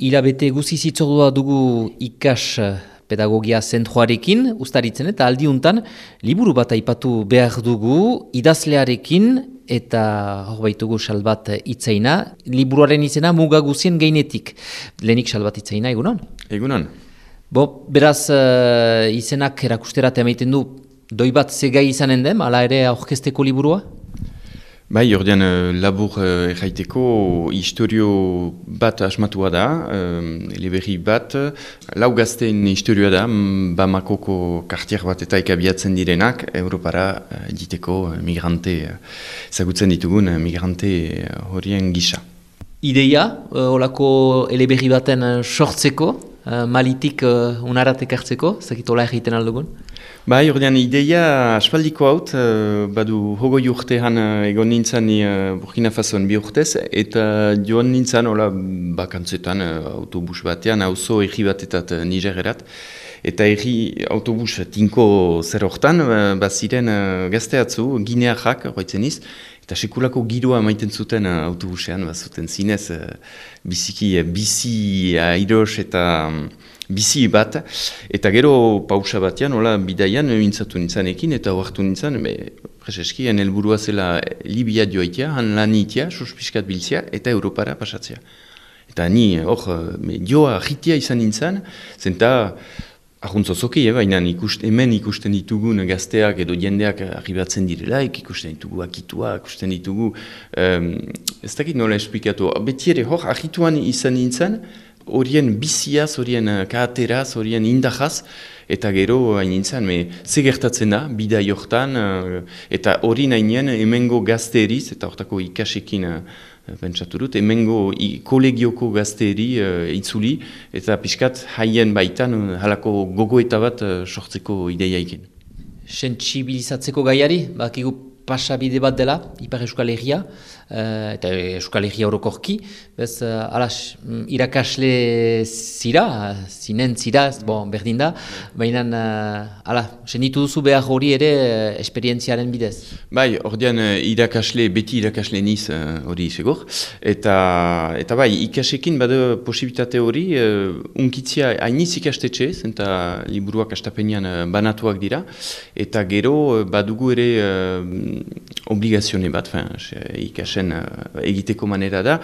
Hilabete guzi zitzordua dugu ikas pedagogia zentroarekin, ustaritzen eta aldiuntan liburu bat aipatu behar dugu idazlearekin eta hor baitugu Salbat Itzaina. Liburuaren izena muga guzien gainetik. Lehenik Salbat Itzaina, egunon? Egunon. Beraz izenak erakusterat emaiten du doi bat zegai izanen den, ala ere aurkezteko liburua? Bai, ordean labur erraiteko historio bat asmatua da, eleberri bat, lau gazteen historioa da, Bamakoko kartier bat eta ikabiatzen direnak, Europara diteko migrante, ezagutzen ditugun migrante horien gisa. Ideia, olako eleberri baten sortzeko, malitik unarat ekartzeko, zakitola egiten aldugun? Bai, ordean ideia aspaldiko haut, badu hogoi urtean egon nintzen Burkina Fasoan 2 urtez, eta joan nintzen bakantzetan autobus batean, auzo erri batetat Nigererat, eta erri autobus tinko zer hortan, baziren gazteatzu, ginearrak, horretzen iz, eta sekulako giroa maiten zuten autobusean, bazuten zinez, bizi airos eta bizi bat, eta gero pausa batean, bidaian mintzatu nintzanekin, eta oartu nintzen, preseski, helburua zela Libia joaitea, han lan itea, suspiskat biltzea, eta Europara pasatzea. Eta ni, joa jitia izan nintzen, zenta, ahuntzozoki, baina hemen ikusten ditugun gazteak edo jendeak arribatzen direlaik, ikusten ditugu akitua, ikusten ditugu, ez dakit nola esplikatu, beti ere ahituan izan nintzen, horien biziaz, horien kaateraz, horien indahaz, eta gero hain nintzen, ze gertatzen da, bidai hortan, eta hori nahinen hemengo gazteeriz, eta hortako ikasekin pentsatu dut, hemengo kolegioko gazteeri itzuli, eta pixkat haien baitan halako gogoeta bat sortzeko ideiaikin. Sentsibilizatzeko gaiari, bakigu pasabide bat dela, Ipar Euskal Herria, eta Euskal Herria orokorki, bez, irakasle zinen zira, berdin da, baina, senitu duzu behar hori ere esperientziaren bidez. Bai, ordean beti irakasle niz hori segur, eta bai, ikasekin bada posibilitate hori, unkitzia hainiz ikastetxe, eta liburuak astapenean banatuak dira, eta gero badugu ere obligazione bat, ikasen egiteko manera da,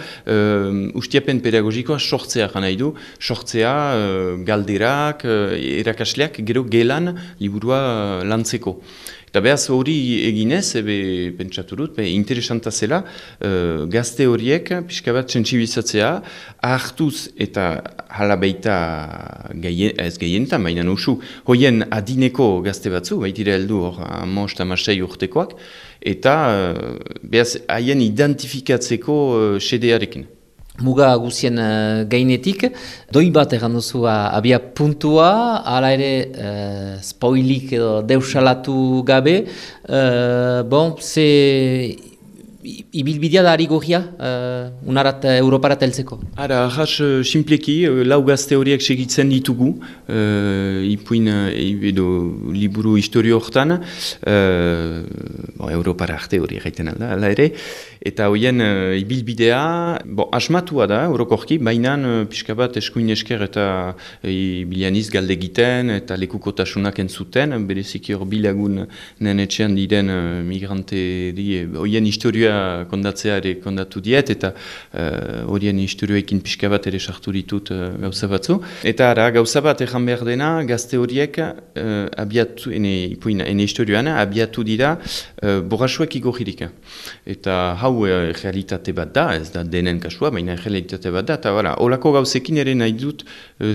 ustiapen pedagogikoa sortzea nahi du, sortzea galderak, erakasleak gero gelan liburua lantzeko. Eta behaz hori eginez, pentsatu dut, interesanta zela, gazte horiek, pixka bat sentsibilizatzea, hartuz eta hala baita ez gehienetan, baina usu, hoien adineko gazte batzu, baitira heldu hor, 5-6 urtekoak, eta behaz haien identifikatzeko sedearekin. Muga guzien gainetik, doi bat egan duzu abia puntua, hala ere spoilik edo deusalatu gabe, ze ibilbidea da ari gorria, unarat Europarat heltzeko? Ara, ahas, simpleki, lau gazte horiek segitzen ditugu, ipuin edo liburu historio hortan, Europara arte hori egiten alda, ala ere, eta horien ibilbidea, asmatua da, orokorki, baina pixka bat eskuin esker eta bilianiz galde egiten, eta lekukotasunak entzuten, bereziki hor bilagun nenetxean diren migrante horien historioa kondatzea ere kondatu diet, eta horien historioekin pixka bat ere sartu ditut gauza batzu. Eta ara, gauza bat egan behar dena, gazte horiek abiatu, ene historioan, abiatu dira borrasuak igorririk. Eta hau realitate bat da, ez da denen kasua, baina realitate bat da, eta holako gauzekin ere nahi dut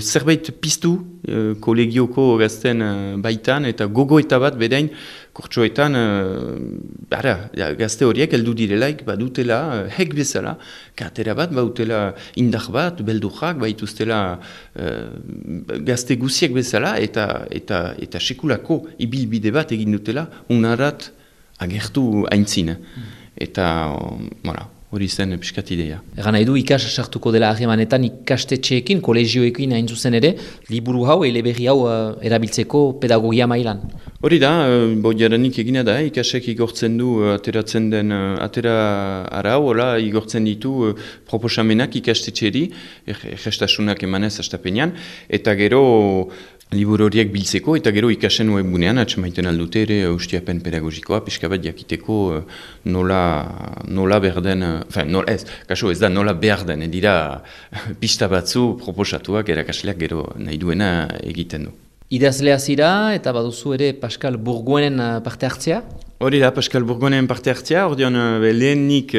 zerbait piztu kolegioko gazten baitan, eta gogoeta bat bedain kurtsoetan, gazte horiek heldu direlaik, badutela, hek bezala, katera bat, badutela indar bat, beldurrak, baituztela gazte guziek bezala, eta sekulako ibilbide bat egin dutela, unarat agertu aintzin. Eta, hori zen piskat ideia. Egan nahi du ikas sartuko dela harremanetan ikastetxeekin, kolegioekin hain zuzen ere, liburu hau, eleberri hau erabiltzeko pedagogia mailan. Hori da, jadanik egina da, ikasek igortzen du ateratzen den, atera arau, hola, igortzen ditu proposamenak ikastetxeri, gestasunak emanez astapenean, eta gero liburu horiek biltzeko, eta gero ikasen webgunean atxamaiten aldute ere ustiapen pedagogikoa, pixka bat jakiteko nola behar den, ez da nola behar den, dira pista batzu proposatuak erakasleak gero nahi duena egiten du. Idazlea zira eta baduzu ere Pascal Bourgoinen parte hartzea? Hori da, Pascal Bourgoinen parte hartzea, ordean lehenik,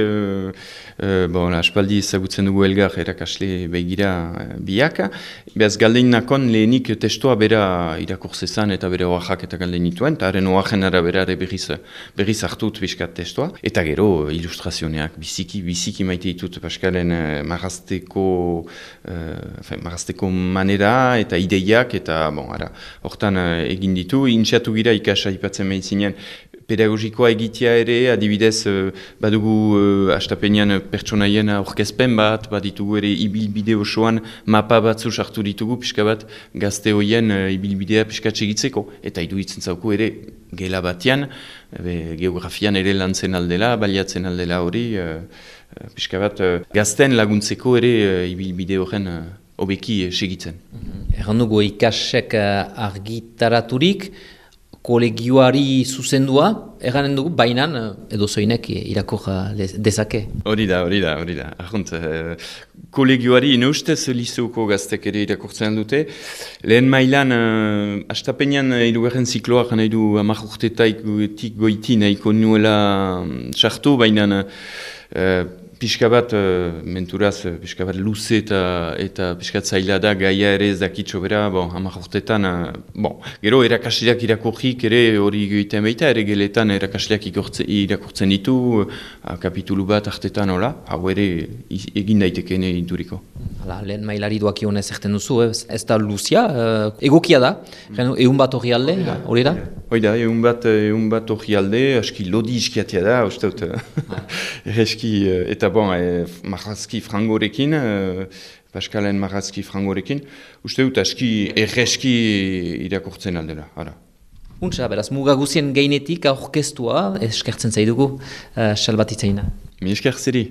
aspaldi ezagutzen dugu elgar erakasle begira biak, behaz galdein nakon lehenik testoa bera irakurzezan eta bere oaxak eta galdein nituen, eta haren oaxen arabera berriz hartut biskat testoa, eta gero ilustrazioneak biziki maite ditut Pascalen marrazteko manera eta ideiak, eta hortan egin ditu, intxatu gira ikasa ipatzen mehitzinen, pedagogikoa egitea ere, adibidez, badugu astapenean pertsonaien aurkezpen bat, baditugu ere ibilbide osoan mapa batzu sartu ditugu, pixka bat gazte hoien ibilbidea pixka txegitzeko. Eta iruditzen zauku ere gela batean, geografian ere lantzen aldela, baliatzen aldela hori, pixka bat gazten laguntzeko ere ibilbide horren hobeki segitzen. Erran dugu ikasek argitaraturik, kolegioari zuzendua, erranen dugu, bainan edo zoinek irakor dezake. Hori da. Arrunt, kolegioari inoustez liceuko gaztek ere irakortzen dute. Lehen mailan, astapenean hirugarren zikloak nahi du 10 urtetaik goiti nahiko nuela sartu, bainan pixka bat, menturaz, pixka bat luze eta pixka zaila da gaia ere ez dakitxo bera, 10 urtetan, gero erakasleak irakurrik ere hori egiten baita, ere geletan erakasleak irakurtzen ditu, kapitulu bat artetan hola, hau ere egin daitekene inturiko. Lehen mailari duakion ez erten duzu, ez da luzia, egokia da, egun bat hori alde, hori da? Hoi da, egun bat hori alde, aski lodi iskiatia da, uste dut, eta marrazki frangorekin, Pascalen marrazki frangorekin, uste dut aski erreski irakurtzen aldela. Untsa, beraz, muga guzien gainetik aurkeztua, eskertzen zaidugu, salbatitzaina. Mi esker zeri.